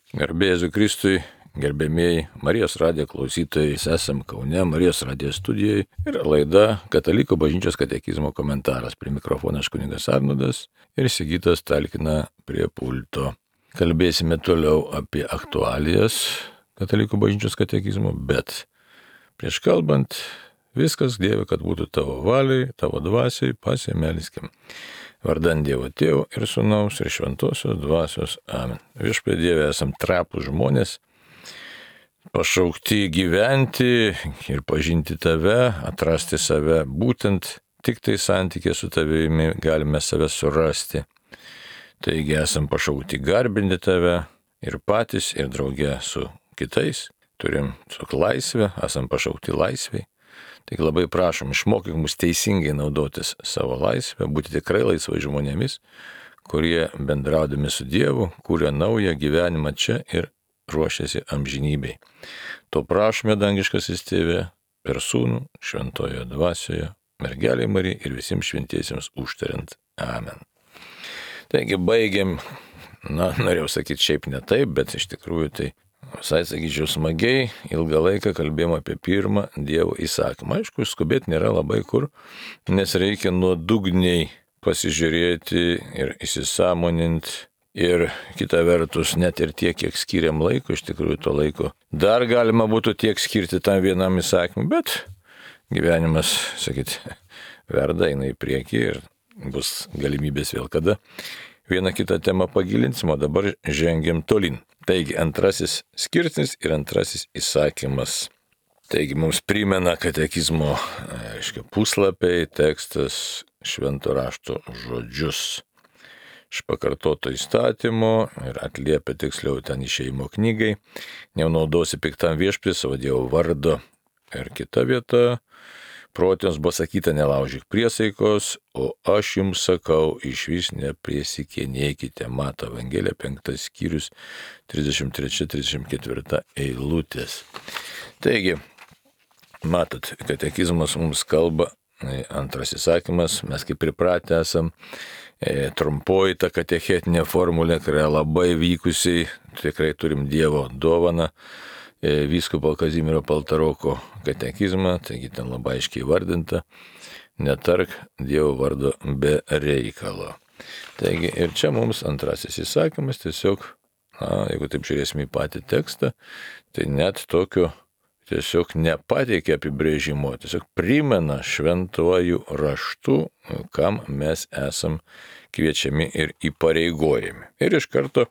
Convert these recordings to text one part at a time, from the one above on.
Garbė Jėzui Kristui, gerbėmieji Marijos radijo klausytojai, esam Kaune, Marijos radijo studijoje ir laida Katalikų bažnyčios katekizmo komentaras. Prie mikrofono aš kunigas Arnoldas ir Sigitas talkina prie pulto. Kalbėsime toliau apie aktualijas Katalikų bažnyčios katekizmo, bet prieš kalbant, viskas Dieve, kad būtų tavo valiai, tavo dvasiai, pasimeliskim. Vardant Dievo Tėvo ir Sūnaus ir Šventosios Dvasios. Amen. Viešpatie Dieve, esam trapūs žmonės, pašaukti gyventi ir pažinti Tave, atrasti save. Būtent tik tai santykė su Tavimi galime save surasti. Taigi esam pašaukti garbinti Tave ir patys, ir drauge su kitais. Turim su laisvė, esam pašaukti laisvei. Tik labai prašom, išmokyk mus teisingai naudotis savo laisvę, būti tikrai laisvai žmonėmis, kurie bendraudami su Dievu, kuria naują gyvenimą čia ir ruošiasi amžinybei. To prašome, dangiškasis Tėve, per Sūnų, Šventojoje Dvasioje, mergelei Marijai ir visiems šventiesiems užtariant. Amen. Taigi baigiam, norėjau sakyti šiaip ne taip, bet iš tikrųjų tai visai, sakyčiau, smagiai, ilgą laiką kalbėjom apie pirmą Dievo įsakymą. Aišku, skubėti nėra labai kur, nes reikia nuodugniai pasižiūrėti ir įsisąmoninti. Ir kita vertus, net ir tiek, kiek skiriam laiko, iš tikrųjų to laiko dar galima būtų tiek skirti tam vienam įsakymui, bet gyvenimas, sakyti, verda, eina į priekį ir bus galimybės vėl kada. Vieną kitą temą pagilinsim, o dabar žengiam tolin. Taigi, antrasis skirsnis ir antrasis įsakymas. Taigi, mums primena katekizmo puslapiai, tekstas, švento rašto žodžius. Iš pakartoto įstatymo ir atliepia tiksliau ten išėjimo knygai. Neunaudosi piktam viešpaties savo Dievo vardo. Ir kita vieta. Protėms buvo sakyta, nelaužyk priesaikos, o aš jums sakau, išvis nepriesikinėkite. Mato Evangelija 5 skyrius 33-34 eilutės. Taigi, matot, katekizmas mums kalba, antras įsakymas, mes kaip pripratę esam, trumpoji ta katechetinė formulė, kuri yra labai vykusiai, tikrai turim Dievo dovaną. Vyskupo Kazimiero Paltaroko katekizmą, taigi ten labai aiškiai vardinta, netark Dievo vardo be reikalo. Taigi ir čia mums antrasis įsakymas tiesiog, jeigu taip žiūrėsime į patį tekstą, tai net tokio tiesiog nepateikia apibrėžimo, tiesiog primena šventuoju raštu, kam mes esam kviečiami ir įpareigojami. Ir iš karto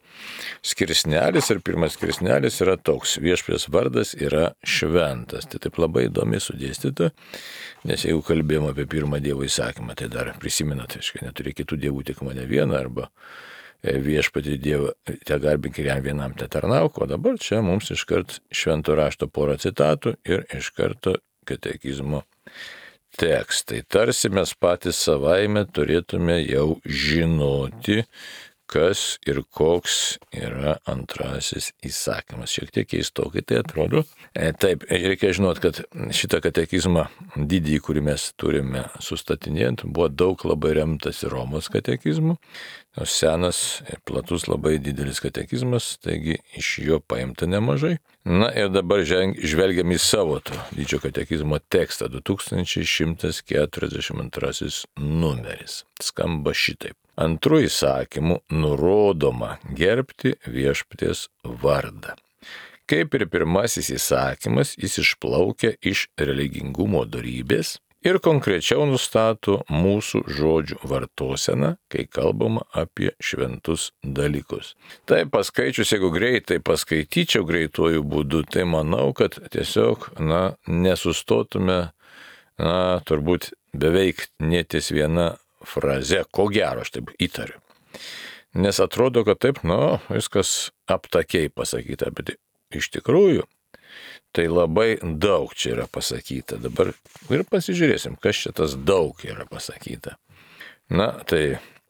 skirsnelis ir pirmas skirsnelis yra toks, viešpaties vardas yra šventas. Tai taip labai įdomiai sudėstyta, nes jeigu kalbėjom apie pirmą Dievo įsakymą, tai dar prisimenat, neturi kitų dievų, tik mane vieną, arba viešpatį Dievą, te garbink ir jam vienam te tarnauk, o dabar čia mums iškart švento rašto porą citatų ir iš karto katekizmo tekstai. Tarsi mes patys savaime turėtume jau žinoti, kas ir koks yra antrasis įsakymas. Šiek tiek keistokai tai atrodo. Taip, reikia žinoti, kad šitą katekizmą didįjį, kurį mes turime sustatinėjant, buvo daug labai remtas Romos katekizmų. Senas, platus, labai didelis katekizmas, taigi iš jo paimta nemažai. Na ir dabar žvelgiam į savo to didžio katekizmo tekstą, 2142 numeris. Skamba šitaip. Antru įsakymu nurodoma gerbti viešpaties vardą. Kaip ir pirmasis įsakymas, jis išplaukia iš religingumo dorybės ir konkrečiau nustato mūsų žodžių vartoseną, kai kalbama apie šventus dalykus. Tai paskaičius, jeigu greitai paskaityčiau greituoju būdu, tai manau, kad tiesiog, nesustotume, turbūt beveik neties viena fraze, ko gero, aš taip įtariu. Nes atrodo, kad taip, viskas aptakiai pasakyta, bet iš tikrųjų, tai labai daug čia yra pasakyta. Dabar ir pasižiūrėsim, kas čia tas daug yra pasakyta. Tai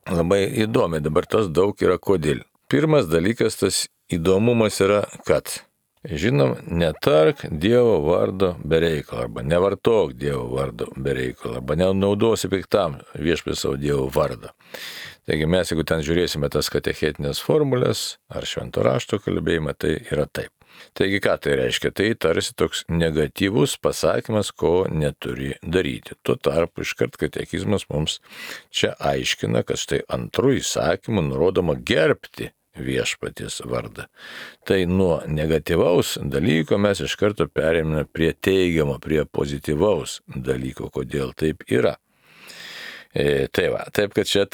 labai įdomi, dabar tas daug yra kodėl. Pirmas dalykas, tas įdomumas yra, kad, žinom, netark Dievo vardo be reikalo, arba nevartok Dievo vardo be reikalo, arba nenaudosi piktam viešpaties savo Dievo vardą. Taigi mes, jeigu ten žiūrėsime tas katechetinės formulės ar švento rašto kalbėjimą, tai yra taip. Taigi ką tai reiškia? Tai tarsi toks negatyvus pasakymas, ko neturi daryti. Tuo tarpu iškart katekizmas mums čia aiškina, kad štai antru įsakymu nurodoma gerbti viešpaties vardą. Tai nuo negatyvaus dalyko mes iš karto perėmėme prie teigiamo, prie pozityvaus dalyko, kodėl taip yra. Taip kad čia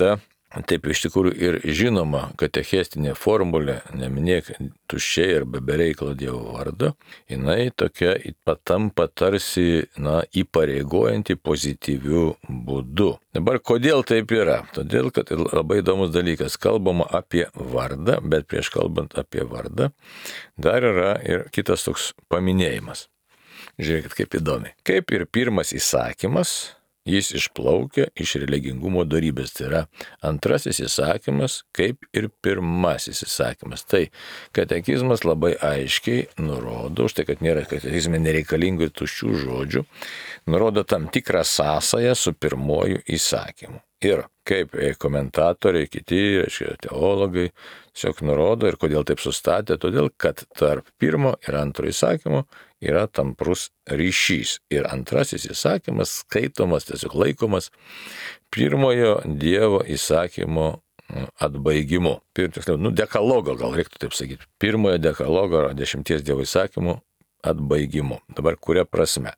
taip iš tikrųjų ir žinoma katechestinė formulė, neminėk tuščiai arba be reikalo Dievo vardo, jinai tokia patampa tarsi įpareigojanti pozityviu būdu. Dabar kodėl taip yra? Todėl, kad labai įdomus dalykas, kalbama apie vardą, bet prieš kalbant apie vardą dar yra ir kitas toks paminėjimas. Žiūrėkit, kaip įdomiai. Kaip ir pirmas įsakymas, jis išplaukia iš religingumo dorybės. Tai yra antrasis įsakymas, kaip ir pirmasis įsakymas. Tai katekizmas labai aiškiai nurodo, štai kad nėra katekizme nereikalingų ir tuščių žodžių, nurodo tam tikrą sąsają su pirmoju įsakymu. Ir kaip komentatoriai, kiti, teologai, tiesiog nurodo ir kodėl taip sustatė, todėl kad tarp pirmo ir antro įsakymo yra tamprus ryšys. Ir antrasis įsakymas skaitomas, tiesiog laikomas pirmojo Dievo įsakymo atbaigimu. Dekalogo, gal reiktų taip sakyti. Pirmojo dekalogo 10 Dievo įsakymų atbaigimu. Dabar kuria prasme?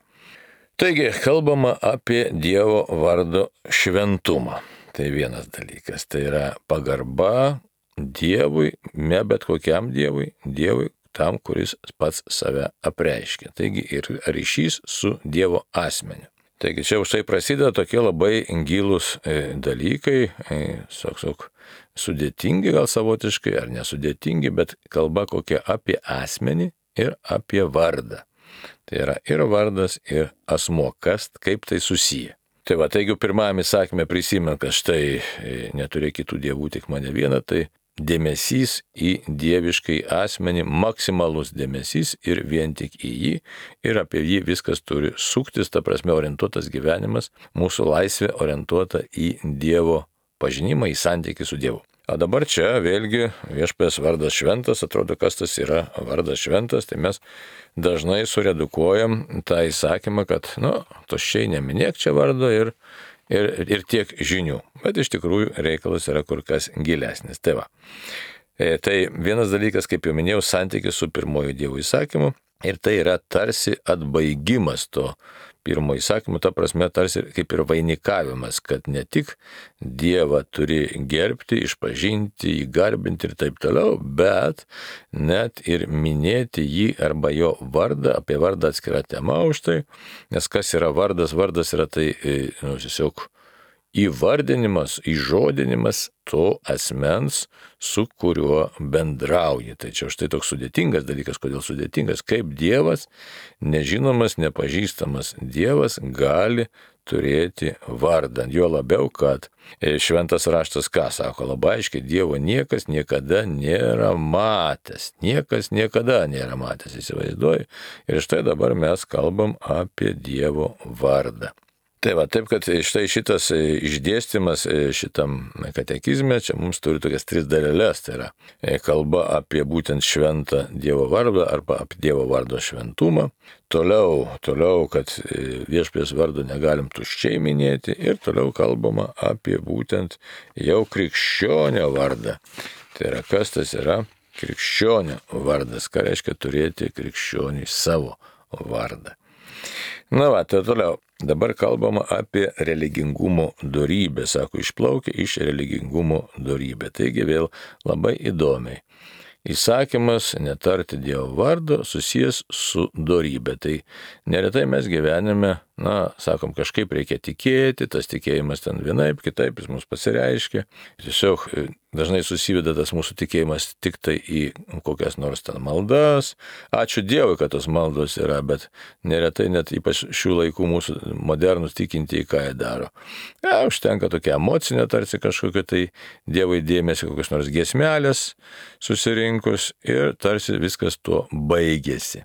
Taigi, kalbama apie Dievo vardo šventumą. Tai vienas dalykas. Tai yra pagarba Dievui, ne bet kokiam Dievui, Dievui tam, kuris pats save apreiškia. Taigi ir ryšys su Dievo asmeniu. Taigi čia už tai prasideda tokie labai gilūs dalykai, sudėtingi gal savotiškai, ar nesudėtingi, bet kalba kokia apie asmenį ir apie vardą. Tai yra ir vardas, ir asmuo, kaip tai susiję. Tai taigi pirmame įsakyme prisimenu, kad štai neturėk kitų dievų, tik mane vieną, tai dėmesys į dieviškai asmenį, maksimalus dėmesys ir vien tik į jį, ir apie jį viskas turi suktis, ta prasme orientuotas gyvenimas, mūsų laisvė orientuota į Dievo pažinimą, į santykį su Dievu. O dabar čia vėlgi viešpaties vardas šventas, atrodo, kas tas yra vardas šventas, tai mes dažnai suredukuojam tą įsakymą, kad, tuščiai neminėk čia vardo ir tiek žinių. Bet iš tikrųjų reikalas yra kur kas gilesnis. Tai vienas dalykas, kaip jau minėjau, santykis su pirmojo Dievo įsakymu, ir tai yra tarsi atbaigimas to pirmo įsakymo, ta prasme tarsi kaip ir vainikavimas, kad ne tik Dievą turi gerbti, išpažinti, jį garbinti ir taip toliau, bet net ir minėti jį arba jo vardą, apie vardą atskira tema už tai, nes kas yra vardas? Vardas yra tai tiesiog įvardinimas, įžodinimas to asmens, su kuriuo bendrauji. Tai čia štai toks sudėtingas dalykas. Kodėl sudėtingas? Kaip Dievas, nežinomas, nepažįstamas Dievas gali turėti vardą. Jo labiau, kad šventas raštas ką sako? Labai aiškiai, Dievo niekas niekada nėra matęs. Niekas niekada nėra matęs, įsivaizduoji. Ir štai dabar mes kalbam apie Dievo vardą. Taip, kad štai šitas išdėstymas šitam katekizme, čia mums turi tokias 3 dalelės, tai yra kalba apie būtent šventą Dievo vardą arba apie Dievo vardo šventumą, toliau, kad viešpaties vardo negalim tuščiai minėti ir toliau kalbama apie būtent jau krikščionio vardą. Tai yra, kas tas yra krikščionio vardas, ką reiškia turėti krikščioniui savo vardą. Tai toliau. Dabar kalbama apie religingumo dorybę, sako, išplaukia iš religingumo dorybę. Taigi vėl labai įdomiai. Įsakymas netarti Dievo vardo susijęs su dorybė. Tai neretai mes gyvenime, sakom, kažkaip reikia tikėti, tas tikėjimas ten vienaip, kitaip jis mums pasireiškia. Tiesiog dažnai susiveda tas mūsų tikėjimas tik tai į kokias nors ten maldas. Ačiū Dievui, kad tos maldos yra, bet neretai net ypač šių laikų mūsų modernus tikintieji, ką jie daro. Užtenka tokia emocinė tarsi kažkokia tai Dievui dėmesio, kokios nors giesmelės susirinkus ir tarsi viskas tuo baigėsi.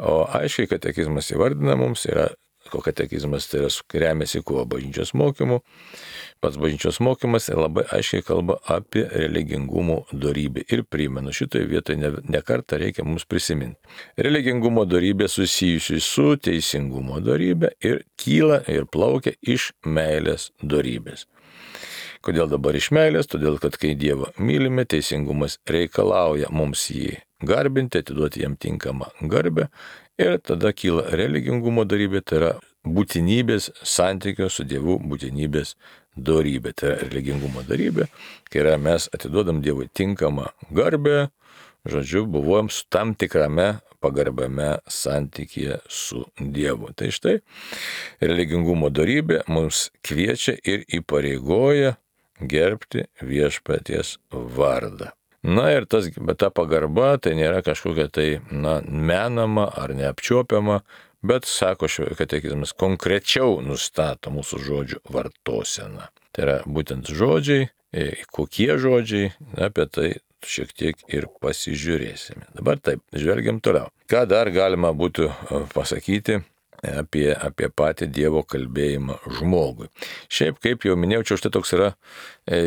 O aiškiai katekizmas įvardina mums yra ko katekizmas tai remiasi kuo bažnyčios mokymu. Pats bažnyčios mokymas labai aiškiai kalba apie religingumo dorybę. Ir primenu, šitoje vietoje ne kartą reikia mums prisiminti. Religingumo dorybė susijusi su teisingumo dorybė ir kyla ir plaukia iš meilės dorybės. Kodėl dabar iš meilės? Todėl, kad kai Dievą mylime, teisingumas reikalauja mums jį garbinti, atiduoti jam tinkamą garbę ir tada kyla religingumo dorybė, tai yra būtinybės santykio su Dievu būtinybės dorybė. Tai yra religingumo dorybė, kai mes atiduodam Dievui tinkamą garbę, žodžiu, buvom su tam tikrame pagarbiame santykyje su Dievu. Tai štai religingumo dorybė mums kviečia ir įpareigoja gerbti viešpaties vardą. Na ir ta pagarba tai nėra kažkokia tai menama ar neapčiuopiama, bet, sako katekizmas, konkrečiau nustato mūsų žodžių vartoseną. Tai yra būtent žodžiai, kokie žodžiai, apie tai šiek tiek ir pasižiūrėsime. Dabar taip, žvelgiam toliau. Ką dar galima būtų pasakyti apie patį Dievo kalbėjimą žmogui. Šiaip, kaip jau minėjau, čia štai toks yra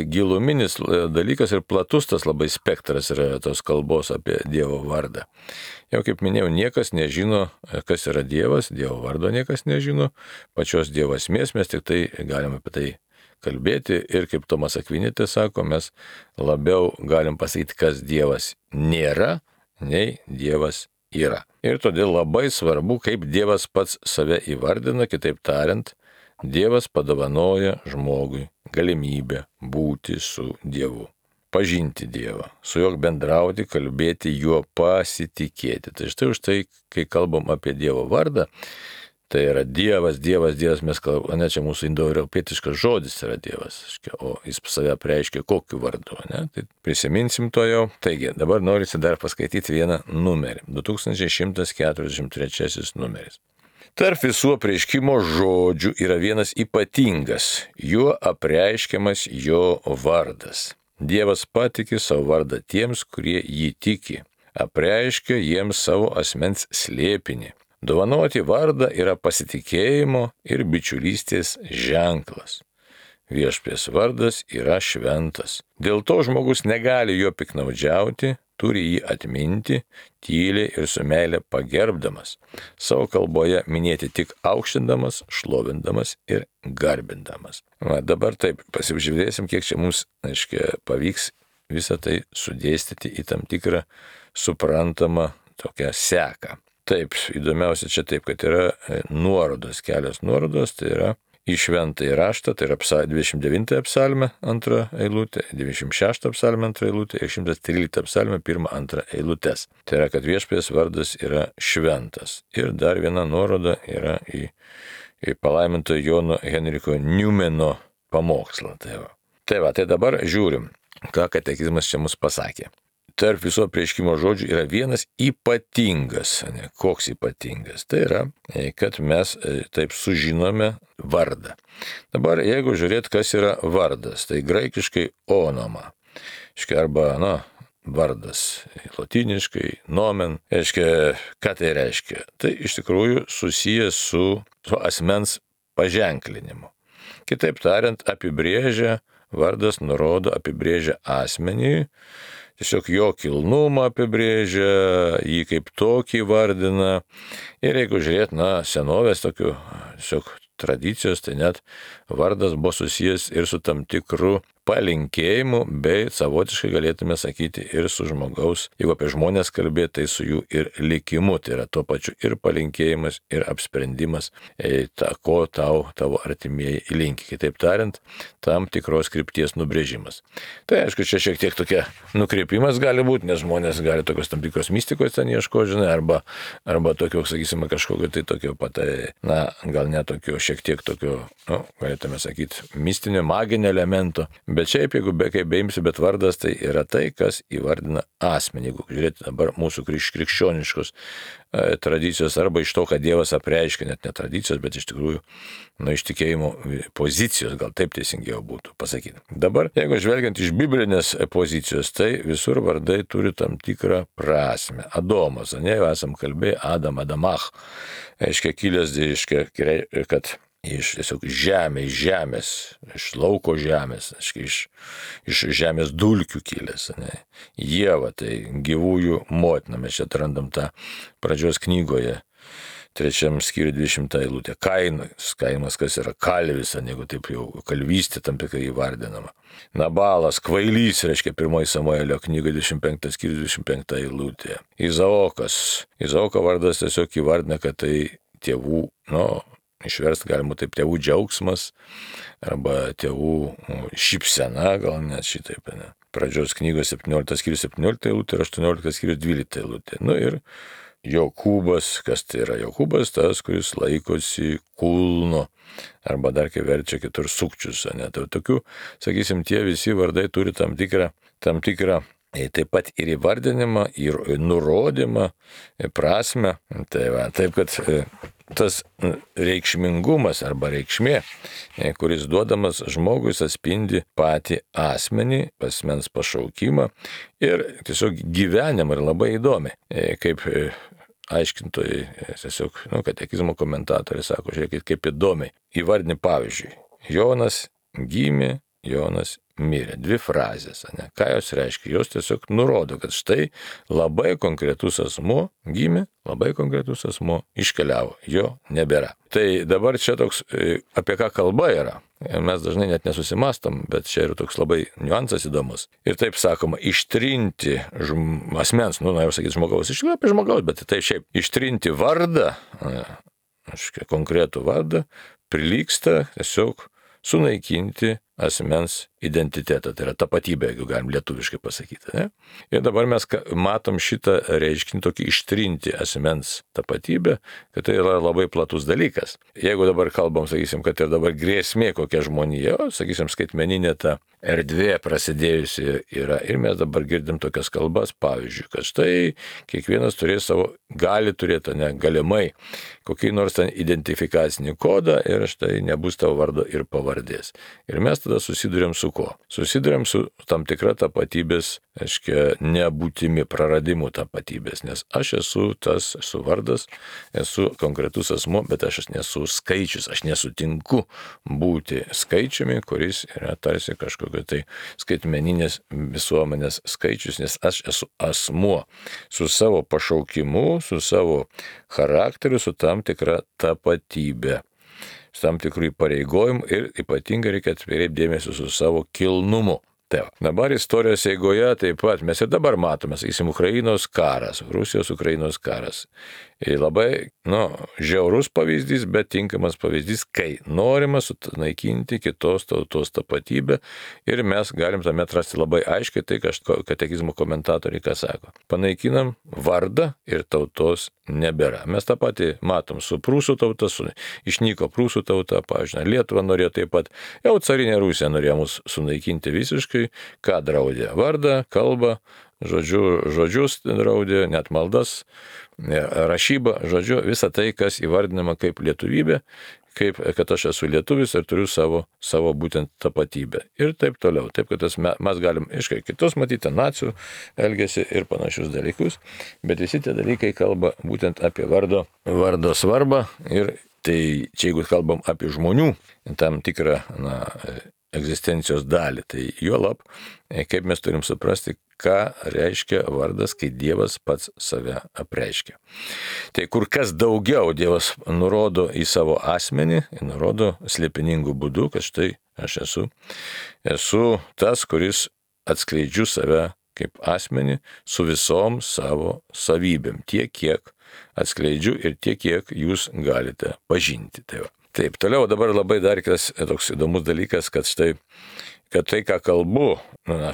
giluminis dalykas ir platus tas labai spektras yra tos kalbos apie Dievo vardą. Jau kaip minėjau, niekas nežino, kas yra Dievas, Dievo vardo niekas nežino, pačios Dievo esmės mes tik tai galime apie tai kalbėti ir kaip Tomas Akvinėtis sako, mes labiau galim pasakyti, kas Dievas nėra, nei Dievas yra. Ir todėl labai svarbu, kaip Dievas pats save įvardina, kitaip tariant, Dievas padovanoja žmogui galimybę būti su Dievu, pažinti Dievą, su juo bendrauti, kalbėti, juo pasitikėti. Tai štai už tai, kai kalbam apie Dievo vardą, tai yra Dievas, mes kalbame, ne čia mūsų indoeuropietiškas žodis yra Dievas, o jis save apreiškia kokiu vardu, ne? Tai prisiminsim to jau. Taigi, dabar norisi dar paskaityti vieną numerį, 2143 numeris. Tarp visų apreiškimo žodžių yra vienas ypatingas, juo apreiškiamas jo vardas. Dievas patiki savo vardą tiems, kurie jį tiki, apreiškia jiems savo asmens slėpinį. Dovanoti vardą yra pasitikėjimo ir bičiulystės ženklas. Viešpaties vardas yra šventas. Dėl to žmogus negali jo piknaudžiauti, turi jį atminti, tyliai ir su meile pagerbdamas, savo kalboje minėti tik aukštindamas, šlovindamas ir garbindamas. Dabar taip, pasižiūrėsim, kiek čia mums, pavyks visą tai sudėstyti į tam tikrą suprantamą tokią seką. Taip, įdomiausia čia taip, kad yra nuorodos, kelios nuorodos, tai yra į šventąjį raštą, tai yra 29 psalmę 2 eilutė, 96 psalmę 2 eilutė ir 113 psalmę 1-2 eilutės. Tai yra, kad viešpaties vardas yra šventas. Ir dar viena nuoroda yra į palaiminto Jono Henriko Niumeno pamokslą. Tai dabar žiūrim, ką katekizmas čia mus pasakė. Tarp viso apreiškimo žodžių yra vienas ypatingas. Koks ypatingas? Tai yra, kad mes taip sužinome vardą. Dabar, jeigu žiūrėt, kas yra vardas, tai graikiškai onoma. Arba, vardas, lotyniškai, nomen. Ką tai reiškia? Tai iš tikrųjų susijęs su asmens paženklinimu. Kitaip tariant, vardas nurodo, apibrėžia asmenį, tiesiog jo kilnumą apibrėžia, jį kaip tokį vardina. Ir jeigu žiūrėt, senovės tokių tiesiog tradicijos, tai net vardas buvo susijęs ir su tam tikru palinkėjimu, bei savotiškai galėtume sakyti ir su žmogaus, jeigu apie žmonės kalbėti, tai su jų ir likimu. Tai yra tuo pačiu ir palinkėjimas, ir apsprendimas, ko tavo artimieji linki. Kitaip tariant, tam tikros krypties nubrėžimas. Tai aišku, čia šiek tiek tokia nukreipimas gali būti, nes žmonės gali tokios tam tikros mistikos ten ieško, arba tokio, sakysime, kažkokio tai tokio pat, gal ne tokio, šiek tiek tokio, galėtume sakyti, mistinio, maginio elemento. Bet šiaip, jeigu kaip beimsi, bet vardas tai yra tai, kas įvardina asmenį. Jeigu žiūrėti dabar mūsų krikščioniškos tradicijos arba iš to, kad Dievas apreiškia, net ne tradicijos, bet iš tikrųjų iš tikėjimo pozicijos, gal taip teisingiau būtų pasakyti. Dabar, jeigu žvelgiant iš biblinės pozicijos, tai visur vardai turi tam tikrą prasme. Adomas, jau esam kalbėję, Adamach, reiškia kilęs, reiškia, kad iš tiesiog žemės, iš lauko žemės, iš žemės dulkių kilęs. Ne? Ieva, tai gyvųjų motina, mes čia atrandam tą pradžios knygoje, 3 skyriuje 20 eilutė. Kainas, kas yra kalvis, jeigu taip jau kalvystė tam tikrai įvardinama. Nabalas, kvailys, reiškia 1 Samuelio knygoje 25 skyriuje 25 eilutė. Izaoko vardas tiesiog įvardina, kad tai tėvų, išversti galima taip, tėvų džiaugsmas arba tėvų šypsena, gal net šitaip, ne. Pradžios knygos 17 skyrius 17 eilutė ir 18 skyrius 12 eilutė. Ir Jokūbas, kas tai yra Jokūbas, tas, kuris laikosi kulno, arba dar kai verčia kitur sukčius, ne. Tai tokių, sakysim, tie visi vardai turi tam tikrą taip pat ir įvardinimą, ir nurodymą, prasme. Taip, kad tas reikšmingumas arba reikšmė, kuris duodamas žmogui, atspindi patį asmenį, asmens pašaukimą ir tiesiog gyvenimą, ir labai įdomi. Kaip aiškintojai, tiesiog, katekizmo komentatoriai sako, žiūrėkit, kaip įdomiai. Įvardini pavyzdžiui, Jonas gimė, Jonas mirė. 2 frazės, ne? Ką jos reiškia? Jos tiesiog nurodo, kad štai labai konkretus asmuo gimė, labai konkretus asmuo iškeliavo, jo nebėra. Tai dabar čia toks, apie ką kalba yra. Mes dažnai net nesusimastom, bet čia yra toks labai niuansas įdomus. Ir taip sakoma, ištrinti asmens, jau sakyti žmogaus, iš tikrųjų apie žmogaus, bet tai šiaip ištrinti vardą, konkretų vardą, prilygsta tiesiog sunaikinti asmens identitetą, tai yra tapatybė, jeigu galim lietuviškai pasakyti. Ne? Ir dabar mes matom šitą reiškinį, tokį ištrinti asmens tapatybę, kad tai yra labai platus dalykas. Jeigu dabar kalbam, sakysim, kad ir dabar grėsmė kokia žmonija, sakysim, skaitmeninė ta erdvė prasidėjusi yra, ir mes dabar girdim tokias kalbas, pavyzdžiui, kad štai kiekvienas turės savo, gali turėti, galimai, kokį nors ten identifikacinį kodą ir štai nebus tavo vardo ir pavardės. Ir mes tada susiduriam su ko? Susiduriam su tam tikra tapatybės, nebūtimi, praradimu tapatybės, nes aš esu tas, esu vardas, esu konkretus asmuo, bet aš nesu skaičius, aš nesutinku būti skaičiumi, kuris yra tarsi kažkokio tai skaitmeninės visuomenės skaičius, nes aš esu asmuo su savo pašaukimu, su savo charakteriu, su tam tikra tapatybė, su tam tikrų įpareigojimų ir ypatingai reikia atkreipti dėmesį su savo kilnumu. Dabar istorijos eigoje taip pat mes ir dabar matome, sakysim, Ukrainos karas, Rusijos-Ukrainos karas. Ir labai, žiaurus pavyzdys, bet tinkamas pavyzdys, kai norima sunaikinti kitos tautos tapatybę ir mes galim tame atrasti labai aiškiai tai, katekizmo komentatoriai ką sako. Panaikinam vardą ir tautos nebėra. Mes tą patį matom su prūsų tauta, išnyko prūsų tauta, pavyzdžiui, Lietuva norėjo taip pat, jau carinė Rusija norėjo mus sunaikinti visiškai, ką draudė? Vardą, kalbą, žodžius draudė, net maldas, rašybą, visą tai, kas įvardinama kaip lietuvybė, kaip kad aš esu lietuvis ir turiu savo būtent tapatybę. Ir taip toliau. Taip, kad mes galim kitus matyti, nacių elgesį ir panašius dalykus, bet visi tie dalykai kalba būtent apie vardo svarbą. Ir tai čia jeigu kalbam apie žmonių tam tikrą egzistencijos dalį, tai juolab, kaip mes turim suprasti, ką reiškia vardas, kai Dievas pats save apreiškia. Tai kur kas daugiau Dievas nurodo į savo asmenį, nurodo slėpiningų būdų, kad štai aš esu tas, kuris atskleidžiu save kaip asmenį su visom savo savybėm, tiek, kiek atskleidžiu ir tiek, kiek jūs galite pažinti. Taip, toliau dabar labai dar kitas toks įdomus dalykas, kad štai, kad tai, ką kalbu,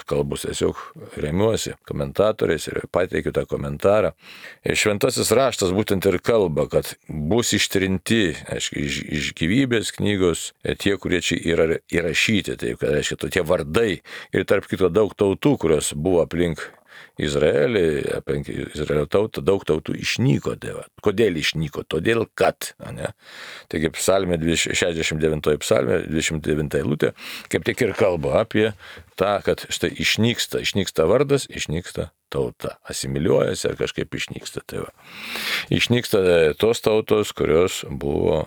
kalbu tiesiog remiuosi komentatoriais ir pateikiu tą komentarą. Šventasis raštas būtent ir kalba, kad bus ištrinti, aiškiai, iš gyvybės knygos tie, kurie čia yra įrašyti, tai reiškia, tokie vardai ir tarp kito daug tautų, kurios buvo aplink Izraelį, aplink Izraelio tautą, daug tautų išnyko. Kodėl išnyko? Todėl, kad. Ne? Taigi psalmė 69 psalmė, 29 eilutė, kaip tik ir kalba apie tą, kad štai išnyksta vardas, išnyksta tauta, asimiliuojasi ar kažkaip išnyksta. Tai va. Išnyksta tos tautos, kurios buvo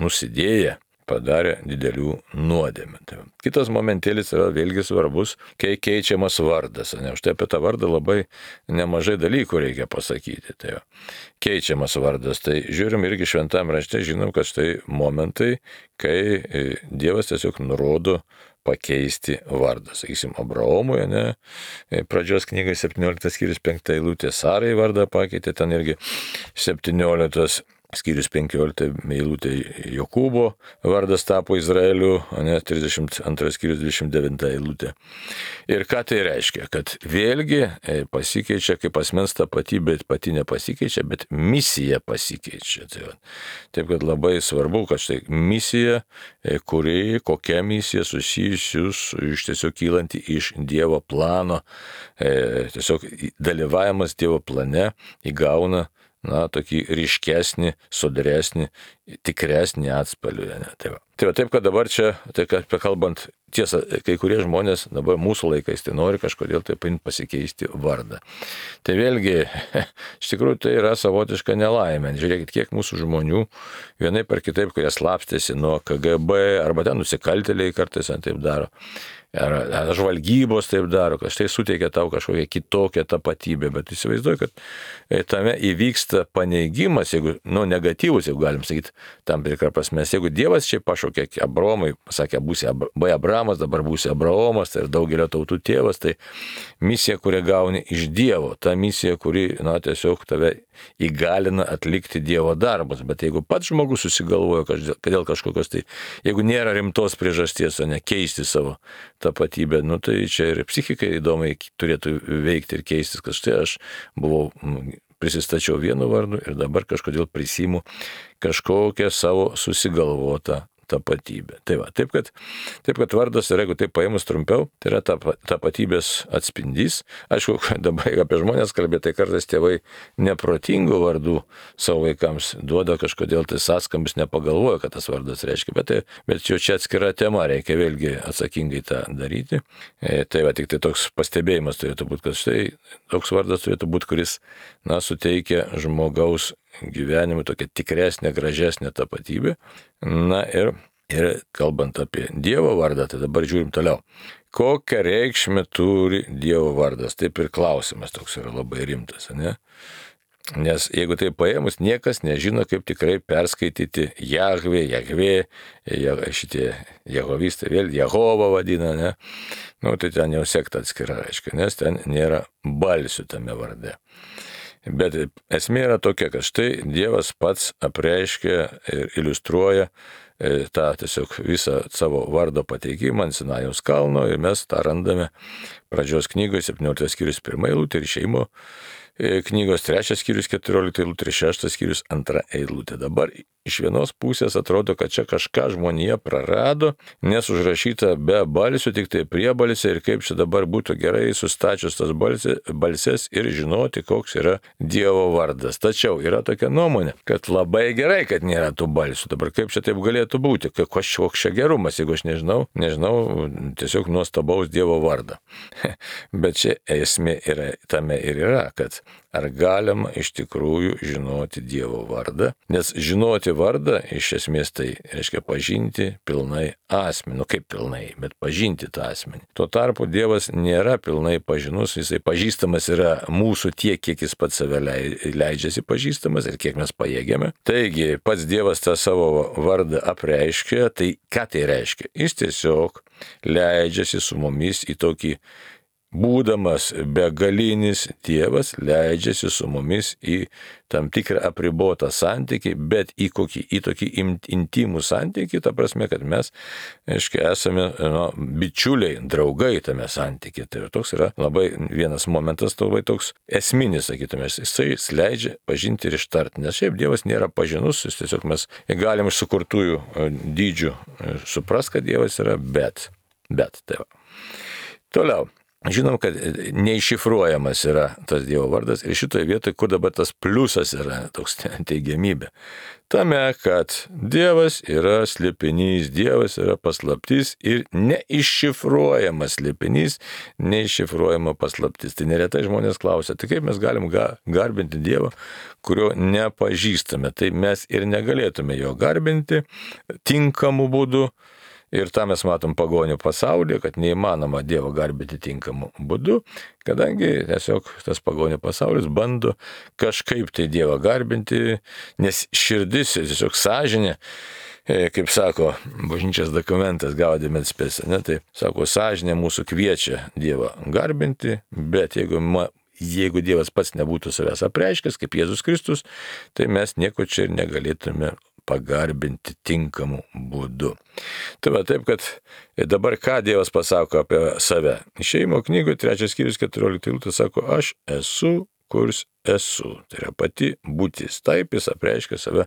nusidėję, padarė didelių nuodėmių. Tai kitas momentėlis yra vėlgi svarbus, kai keičiamas vardas. Štai apie tą vardą labai nemažai dalykų reikia pasakyti. Tai keičiamas vardas. Tai žiūrim irgi šventam rašte, žinom, kad štai momentai, kai Dievas tiesiog nurodo pakeisti vardą. Sakysim, Abraomui, pradžios knygai 17 skyrius 5 eilutė, Sarai vardą pakeitė, ten irgi 17 skyrius 15 eilutė Jokūbo vardas tapo Izraeliu, 32 skyrius 29 eilutė. Ir ką tai reiškia? Kad vėlgi pasikeičia, kaip asmens tapatybė pati nepasikeičia, bet misija pasikeičia. Taip, kad labai svarbu, kad štai misija, kokia misija susijusius iš tiesiog kylanti iš Dievo plano, tiesiog dalyvavimas Dievo plane įgauna tokį ryškesnį, sodresnį, tikresnį atspalvį. Taip, kad dabar čia, kalbant, tiesa, kai kurie žmonės dabar mūsų laikais tai nori kažkodėl taip pasikeisti vardą. Tai vėlgi, iš tikrųjų tai yra savotiška nelaimė. Žiūrėkit, kiek mūsų žmonių vienaip ar kitaip, kurie slapstėsi nuo KGB, arba ten nusikaltėliai kartais taip daro. Ar žvalgybos taip daro, kad štai suteikia tau kažkokią kitokią tapatybę, bet įsivaizduoju, kad tame įvyksta paneigimas, jeigu, negatyvus, jeigu galim sakyti, tam tikrą prasme, jeigu Dievas čia pašaukė Abraomui, pasakė, būsi Abramas, dabar būsi Abraomas, tai ir daugelio tautų tėvas, tai misija, kurią gauni iš Dievo, ta misija, kuri, tiesiog tave įgalina atlikti Dievo darbus, bet jeigu pats žmogus susigalvoja, kad dėl kažkokios, tai jeigu nėra rimtos priežasties, o ne keisti savo tapatybę, tai čia ir psichikai įdomiai turėtų veikti ir keistis, kad štai aš prisistačiau vienu vardu ir dabar kažkodėl prisimu kažkokią savo susigalvotą tapatybė. Taip, kad vardas yra, jeigu taip paėmus trumpiau, tai yra tapatybės atspindys. Aišku, dabar apie žmonės kalbėti, tai kartais tėvai neprotingų vardų savo vaikams duoda kažkodėl tai sąskambis, nepagalvoja, kad tas vardas reiškia, bet jau čia atskira tema, reikia vėlgi atsakingai tą daryti. Tik tai toks pastebėjimas turėtų būti, kad štai toks vardas turėtų būti, kuris, suteikia žmogaus gyvenimui tokia tikresnė, gražesnė tapatybė. Ir kalbant apie Dievo vardą, tai dabar žiūrim toliau. Kokią reikšmę turi Dievo vardas? Taip ir klausimas toks yra labai rimtas, ne? Nes jeigu tai paėmus, niekas nežino, kaip tikrai perskaityti Jahvė, šitie jehovistai vėl Jehovą vadina, ne? Tai ten jau sekta atskira, reiškia, nes ten nėra balsių tame varde. Bet esmė yra tokia, kad štai Dievas pats apreiškia ir iliustruoja tą tiesiog visą savo vardo pateikimą ant Sinajaus kalno ir mes tą randame pradžios knygoje 17 skyrius 1 eilutė ir Išėjimo knygos 3 skyrius 14 eilutė ir 6 skyrius 2 eilutė. Dabar iš vienos pusės atrodo, kad čia kažką žmonija prarado, nes užrašyta be balsių, tik tai priebalsė ir kaip čia dabar būtų gerai sustačius tas balses ir žinoti, koks yra Dievo vardas. Tačiau yra tokia nuomonė, kad labai gerai, kad nėra tų balsių. Dabar kaip čia taip galėtų būti, koks čia gerumas, jeigu aš nežinau tiesiog nuostabaus Dievo vardą. Bet čia esmė tame ir yra, kad ar galima iš tikrųjų žinoti Dievo vardą, nes žinoti vardą iš esmės tai reiškia pažinti pilnai asmenį, kaip pilnai, bet pažinti tą asmenį. Tuo tarpu Dievas nėra pilnai pažinus, jisai pažįstamas yra mūsų tiek, kiek jis pats save leidžiasi pažįstamas ir kiek mes pajėgiame. Taigi pats Dievas tą savo vardą apreiškia, tai ką tai reiškia? Jis tiesiog leidžiasi su mumis į tokį būdamas begalinis Dievas, leidžiasi su mumis į tam tikrą apribotą santykį, bet į tokį intimų santykį, ta prasme, kad mes, esame bičiuliai, draugai tame santykiai. Tai toks yra labai vienas momentas, labai toks esminis, sakytume, jisai leidžia pažinti ir ištarti, nes šiaip Dievas nėra pažinus, jis tiesiog mes galim iš sukurtųjų dydžių supras, kad Dievas yra, bet tai va. Toliau. Žinom, kad neiššifruojamas yra tas Dievo vardas ir šitoje vietoje, kur dabar tas pliusas yra, toks teigiamybė. Tame, kad Dievas yra slėpinys, Dievas yra paslaptis ir neiššifruojamas slėpinys, neiššifruojama paslaptis. Tai neretai žmonės klausia, tai kaip mes galim garbinti Dievą, kurio nepažįstame. Tai mes ir negalėtume jo garbinti tinkamu būdu. Ir tą mes matom pagonių pasaulyje, kad neįmanoma Dievo garbinti tinkamu būdu, kadangi tiesiog tas pagonių pasaulis bando kažkaip tai Dievą garbinti, nes širdis, tiesiog sąžinė, kaip sako bažnyčios dokumentas Gaudium et Spes, tai sako, sąžinė mūsų kviečia Dievą garbinti, bet jeigu Dievas pats nebūtų savęs apreiškęs, kaip Jėzus Kristus, tai mes nieko čia ir negalėtume pagarbinti tinkamu būdu. Tai va taip, kad dabar ką Dievas pasako apie save. Išėjimo knygoje 3 skyrius 14 eilutė sako, aš esu, kurs esu. Tai yra pati būtis. Taip jis apreiškia save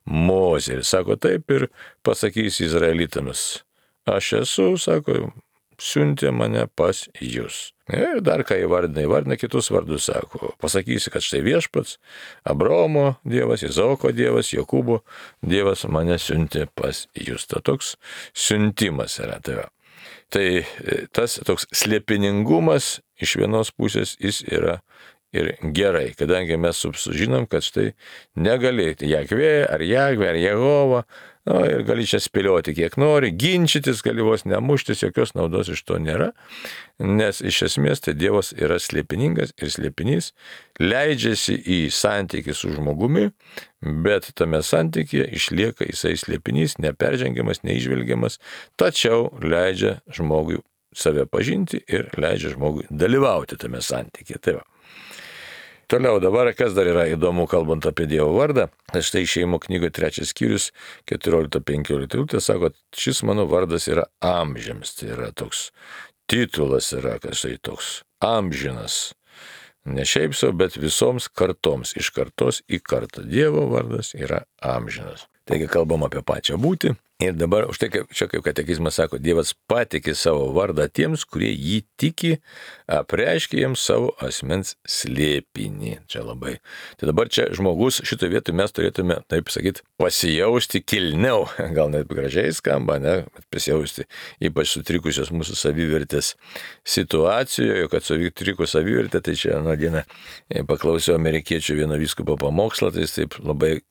Mozei. Ir sako taip ir pasakys izraelitams. Aš esu, sako, siuntė mane pas jūs. Ir dar ką įvardina kitus vardus, sako, pasakysi, kad štai viešpats, Abraomo Dievas, Izaoko Dievas, Jokūbo Dievas mane siuntė pas jūs. Tai toks siuntimas yra. Tai tas toks slėpiningumas iš vienos pusės jis yra ir gerai, kadangi mes sužinom, kad štai negali Jahvė ar Jehova, ir gali čia spėlioti kiek nori, ginčytis, gali vos nemuštis, jokios naudos iš to nėra, nes iš esmės tai Dievas yra slėpiningas ir slėpinys leidžiasi į santykį su žmogumi, bet tame santykyje išlieka jisai slėpinys, neperžengiamas, neižvelgiamas, tačiau leidžia žmogui save pažinti ir leidžia žmogui dalyvauti tame santykyje. Tai va. Toliau dabar, kas dar yra įdomu, kalbant apie Dievo vardą, štai Išėjimo knygoje 3 skyrius 14-15 sako, šis mano vardas yra amžiams, tai yra toks titulas yra, kad štai toks amžinas, ne šiaip sau, bet visoms kartoms, iš kartos į kartą. Dievo vardas yra amžinas. Taigi kalbam apie pačią būtį. Ir dabar, už tai, čia kaip katekizmas sako, Dievas patikė savo vardą tiems, kurie jį tiki, apreiškia jiems savo asmens slėpinį. Čia labai. Tai dabar čia žmogus, šitoje vietoje mes turėtume, taip sakyti, pasijausti kilniau. Gal net gražiai skamba, ne? Bet pasijausti ypač sutrikusios mūsų savivertės situacijoje, kad sutrikus savivertė, tai čia vieną dieną paklausiau amerikiečių vieno vyskupo pamokslą, tai jis taip labai,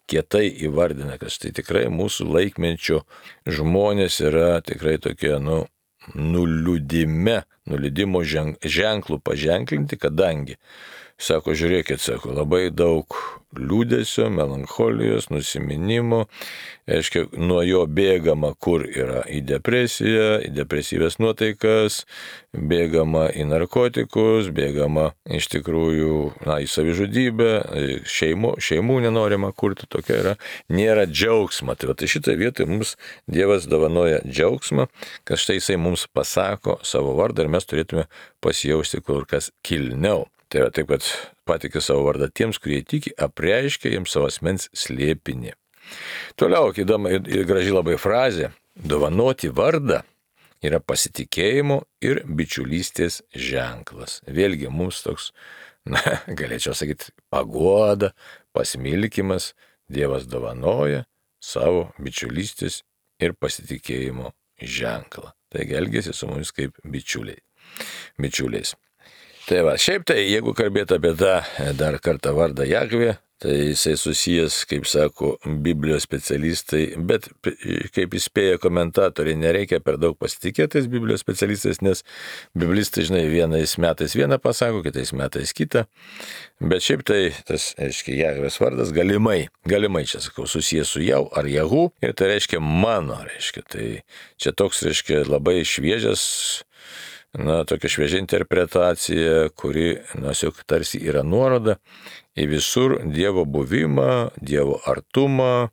kietai įvardina, kad štai tikrai mūsų laikmečio žmonės yra tikrai tokie, nuliūdimo ženklų paženklinti, kadangi, sako, žiūrėkit, sako, labai daug liūdesio, melancholijos, nusiminimo, aiškiai, nuo jo bėgama kur yra į depresiją, į depresyvės nuotaikas, bėgama į narkotikus, bėgama iš tikrųjų į savižudybę, šeimų nenorima kurti, tokia yra, nėra džiaugsma. Tai šitoje vietoje mums Dievas dovanoja džiaugsmą, kad štai jisai mums pasako savo vardą ir mes turėtume pasijausti kur kas kilniau. Tai yra taip, kad patikė savo vardą tiems, kurie tiki, apreiškia jiems savo asmens slėpinį. Toliau, įdomi ir graži labai frazė, dovanoti vardą yra pasitikėjimo ir bičiulystės ženklas. Vėlgi mums toks, galėčiau sakyti, paguoda, pasmilkimas, Dievas dovanoja savo bičiulystės ir pasitikėjimo ženklą. Taigi elgiasi su mumis kaip bičiuliais. Tai va, šiaip tai, jeigu kalbėtų apie tą dar kartą vardą Jahvė, tai jisai susijęs, kaip sako, Biblijos specialistai, bet kaip įspėja komentatoriai, nereikia per daug pasitikėtis Biblijos specialistais, nes biblistai, vienais metais vieną pasako, kitais metais kitą, bet šiaip tai tas, reiškia, Jahvės vardas galimai čia, sakau, susijęs su jau ar Jahu, ir tai reiškia mano, reiškia, tai čia toks, reiškia, labai šviežias tokia šviežia interpretacija, kuri, tiesiog tarsi yra nuoroda į visur Dievo buvimą, Dievo artumą,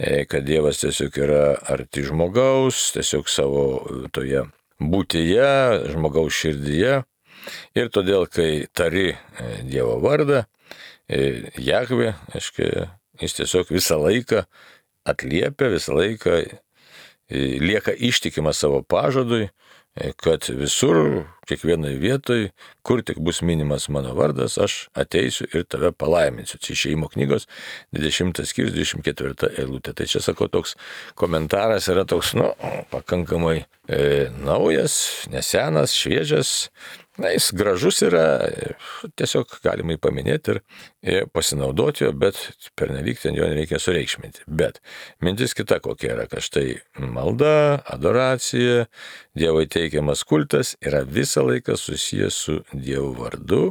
kad Dievas tiesiog yra arti žmogaus, tiesiog savo toje būtyje, žmogaus širdyje. Ir todėl, kai tari Dievo vardą, Jahvė, jis tiesiog visą laiką atliepia, visą laiką lieka ištikimas savo pažadui, kad visur, kiekvienoje vietoje, kur tik bus minimas mano vardas, aš ateisiu ir tave palaiminsiu. Čia Išėjimo knygos 20 skyrius 24 eilutė. Tai čia, sakau, toks komentaras yra toks, pakankamai naujas, nesenas, šviežias. Jis gražus yra, tiesiog galima jį paminėti ir pasinaudoti jo, bet pernelyg ten jo nereikia sureikšminti. Bet mintis kita kokia yra, kad štai malda, adoracija, Dievui teikiamas kultas yra visą laiką susijęs su Dievo vardu.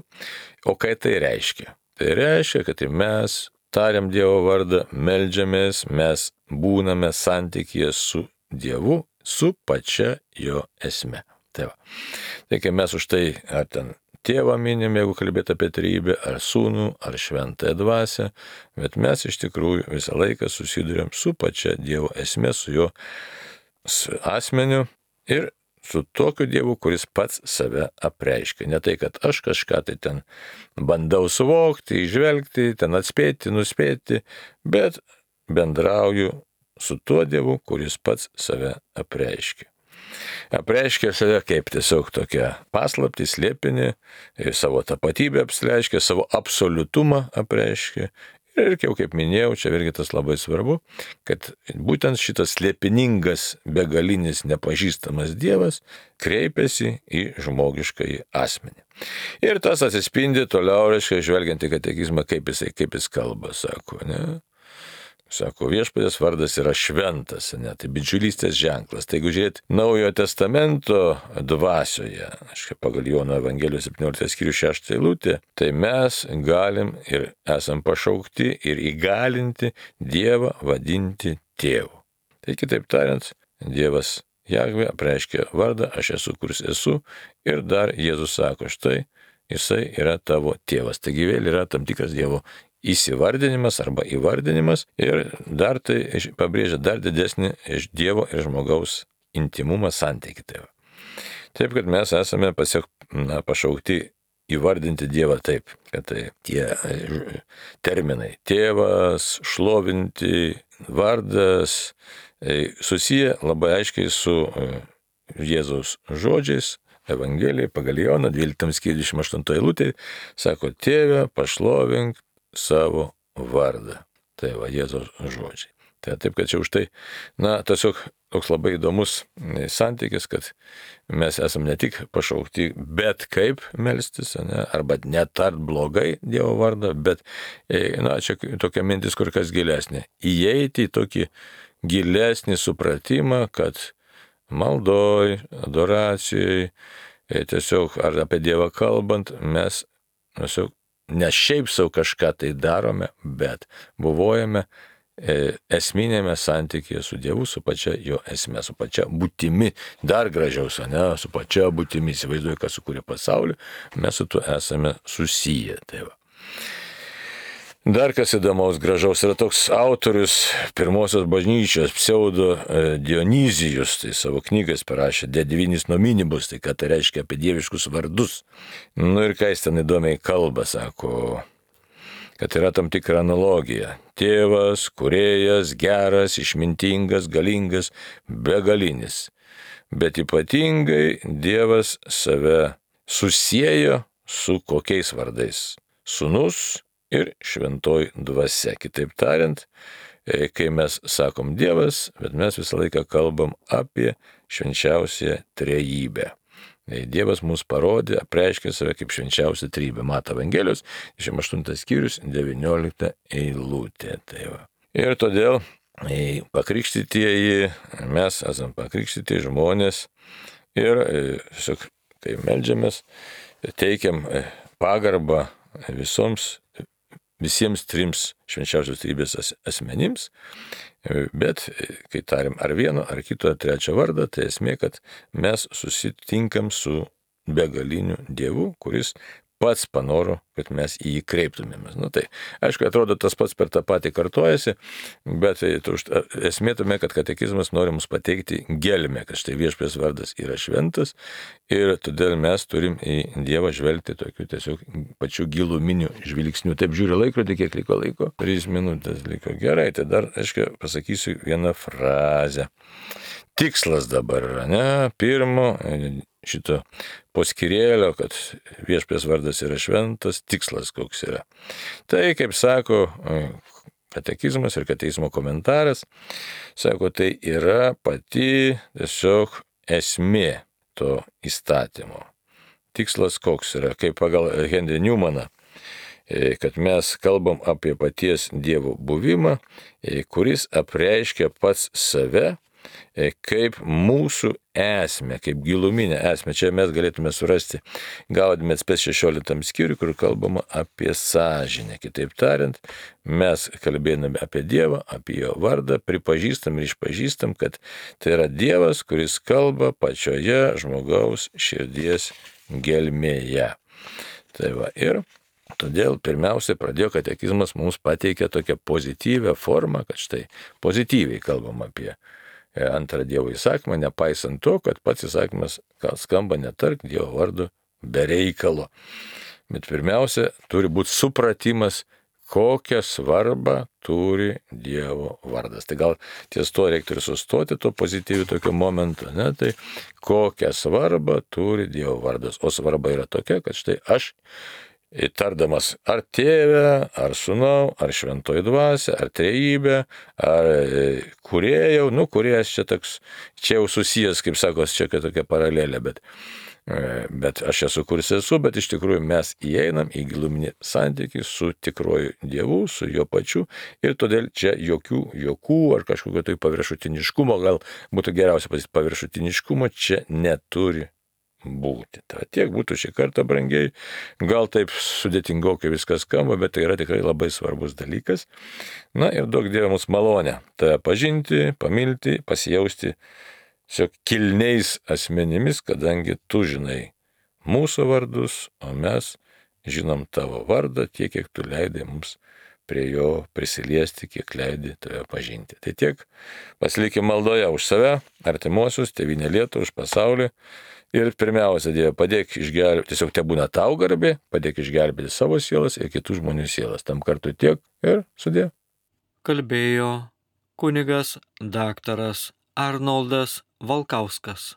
O ką tai reiškia? Tai reiškia, kad mes tariam Dievo vardą, meldžiamės, mes būname santykyje su Dievu, su pačia jo esme. Tai kai mes už tai ar ten tėvą minim, jeigu kalbėt apie trejybę, ar sūnų, ar šventąją dvasią, bet mes iš tikrųjų visą laiką susiduriam su pačia Dievo esme, su jo asmeniu ir su tokiu Dievu, kuris pats save apreiškia. Ne tai, kad aš kažką tai ten bandau suvokti, įžvelgti, ten atspėti, nuspėti, bet bendrauju su tuo Dievu, kuris pats save apreiškia. Apreiškia save kaip tiesiog tokia paslaptį, slėpinį, savo tapatybę apreiškia, savo absoliutumą apreiškia. Ir kaip minėjau, čia irgi tas labai svarbu, kad būtent šitas slėpiningas, begalinis, nepažįstamas Dievas kreipiasi į žmogiškąjį asmenį. Ir tas atsispindi toliau, žvelgiant į katekizmą, kaip jis kalba, sako, ne? Sako, Viešpaties vardas yra šventas, tai bičiulystės ženklas. Tai jeigu žiūrėt Naujojo testamento dvasioje, pagal Jono Evangelijos 17 skyrius 6 eilutė, tai mes galim ir esam pašaukti ir įgalinti Dievą vadinti tėvu. Tai kitaip tariant, Dievas Jahvė apreiškia vardą, aš esu, kuris esu, ir dar Jėzus sako, štai, jisai yra tavo tėvas. Taigi vėl yra tam tikras Dievo įsivardinimas arba įvardinimas ir dar tai pabrėžia dar didesnį iš Dievo ir žmogaus intimumą santykį. Taip, kad mes esame pašaukti įvardinti Dievą taip, kad tai tie terminai tėvas, šlovinti, vardas susiję labai aiškiai su Jėzaus žodžiais. Evangelijai pagal Joną 12 skyrius 28 eilutė sako, tėve, pašlovink savo vardą. Tai Jėzaus žodžiai. Tai taip, kad čia už tai, tiesiog toks labai įdomus santykis, kad mes esame ne tik pašaukti, bet kaip melstis, arba netart blogai Dievo vardą, bet, čia tokia mintis kur kas gilesnė. Įeiti į tokį gilesnį supratimą, kad maldoj, adoracijai, tiesiog ar apie Dievą kalbant, mes tiesiog ne šiaip savo kažką tai darome, bet buvojame esminėme santykėje su Dievu, su pačia jo esme, su pačia būtimi, dar gražiau, su pačia būtimi, įsivaizduoju, kas sukūrė pasaulį, mes su tuo esame susiję. Tai va. Dar kas įdomaus, gražaus, yra toks autorius pirmosios bažnyčios, pseudo Dionizijus, tai savo knygas parašė De divinis nominibus, tai ką tai reiškia apie dieviškus vardus. Ir ką jis ten įdomiai kalba, sako, kad yra tam tikra analogija. Tėvas, kūrėjas, geras, išmintingas, galingas, begalinis. Bet ypatingai Dievas save susiejo su kokiais vardais? Sūnus ir šventoji dvasia. Kitaip tariant, kai mes sakom Dievas, bet mes visą laiką kalbam apie švenčiausią trejybę. Dievas mums parodė, apreiškė save kaip švenčiausią trejybę. Mato Evangelijos 28 skyrius 19 eilutė. Tai va. Ir todėl pakrikštytieji, mes esame pakrikštyti žmonės ir tiesiog, kai meldžiamės, teikiam pagarbą visoms visiems trims švenčiausios trejybės asmenims, bet kai tariam ar vieno, ar kito, ar trečio vardą, tai esmė, kad mes susitinkam su begaliniu Dievu, kuris pats panoro, kad mes į jį kreiptumėmės. Tai, aišku, atrodo, tas pats per tą patį kartojasi, bet esmė tame, kad katekizmas nori mums pateikti gelmę, kad štai viešpaties vardas yra šventas ir todėl mes turim į Dievą žvelgti tokiu tiesiog pačiu giluminiu žvilgsniu. Taip žiūriu laikrodį, kiek liko laiko. 3 minutės liko. Gerai, tai dar, aišku, pasakysiu vieną frazę. Tikslas dabar yra, ne? Pirmo šito poskyrėlio, kad viešpaties vardas yra šventas, tikslas koks yra. Tai, kaip sako katekizmas ir katekizmo komentaras, sako, tai yra pati tiesiog esmė to įstatymo. Tikslas koks yra, kaip pagal Henry Newmaną, kad mes kalbam apie paties Dievo buvimą, kuris apreiškia pats save, kaip mūsų esmę, kaip giluminę esmę. Čia mes galėtume surasti Gaudimės 16 skyrių, kur kalbama apie sąžinę. Kitaip tariant, mes kalbėdami apie Dievą, apie jo vardą, pripažįstam ir išpažįstam, kad tai yra Dievas, kuris kalba pačioje žmogaus širdies gelmėje. Tai va, ir todėl pirmiausia pradėjo katekizmas mums pateikė tokią pozityvę formą, kad štai pozityviai kalbam apie antrą Dievo įsakymą, nepaisant to, kad pats įsakymas skamba netark Dievo vardu be reikalo. Bet pirmiausia, turi būti supratimas, kokią svarbą turi Dievo vardas. Tai gal ties to reiktų ir sustoti, to pozityvių tokio momento, ne? Tai kokią svarbą turi Dievo vardas. O svarba yra tokia, kad štai aš, tardamas ar tėvę, ar sūnau, ar šventoji dvasia, ar trejybė, ar kūrėjau, kūrėjas čia toks, čia jau susijęs, kaip sakos, čia tokia paralelė, bet aš esu, kuris esu, bet iš tikrųjų mes įeinam į giluminį santykį su tikruoju Dievu, su jo pačiu ir todėl čia jokių juokų ar kažkokio tai paviršutiniškumo, gal būtų geriausia pasakyti, paviršutiniškumo čia neturi būti. Tai tiek būtų šį kartą, brangiai. Gal taip sudėtingokai viskas skamba, bet tai yra tikrai labai svarbus dalykas. Ir duok Dieve mums malonę tave pažinti, pamilti, pasijausti kilniais asmenimis, kadangi tu žinai mūsų vardus, o mes žinom tavo vardą tiek, kiek tu leidai mums prie jo prisiliesti, kiek leidai tave pažinti. Tai tiek, pasilikim maldoje už save, artimuosius, tėvynę Lietuvą, už pasaulį. Ir pirmiausia, Dieve, padėk išgelbėti, tiesiog te būna tau garbė, padėk išgelbėti savo sielas ir kitų žmonių sielas. Tam kartu tiek ir sudie. Kalbėjo kunigas daktaras Arnoldas Valkauskas.